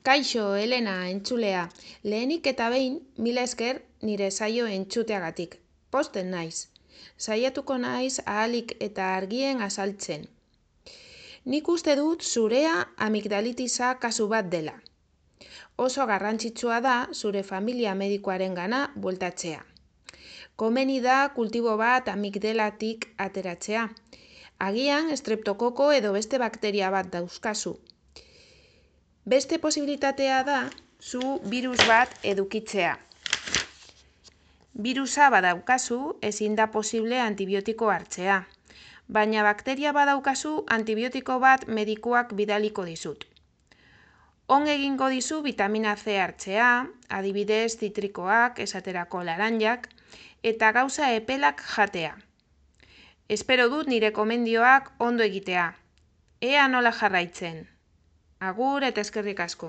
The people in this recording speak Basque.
Kaixo, Elena, entzulea. Lehenik eta behin, mila esker nire saio entzuteagatik. Posten naiz. Saiatuko naiz ahalik eta argien azaltzen. Nik uste dut zurea amigdalitisa kasu bat dela. Oso garrantzitsua da zure familia medikuarengana bueltatzea. Komeni da kultibo bat amigdalatik ateratzea. Agian streptokoko edo beste bakteria bat dauzkazu. Beste posibilitatea da zu virus bat edukitzea. Virusa badaukazu ezin da posible antibiotiko hartzea. Baina bakteria badaukazu antibiotiko bat medikuak bidaliko dizut. On egingo dizu vitamina C hartzea, adibidez zitrikoak, esaterako laranjak, eta gauza epelak jatea. Espero dut nire komendioak ondo egitea. Ea nola jarraitzen. Agur eta eskerrik asko.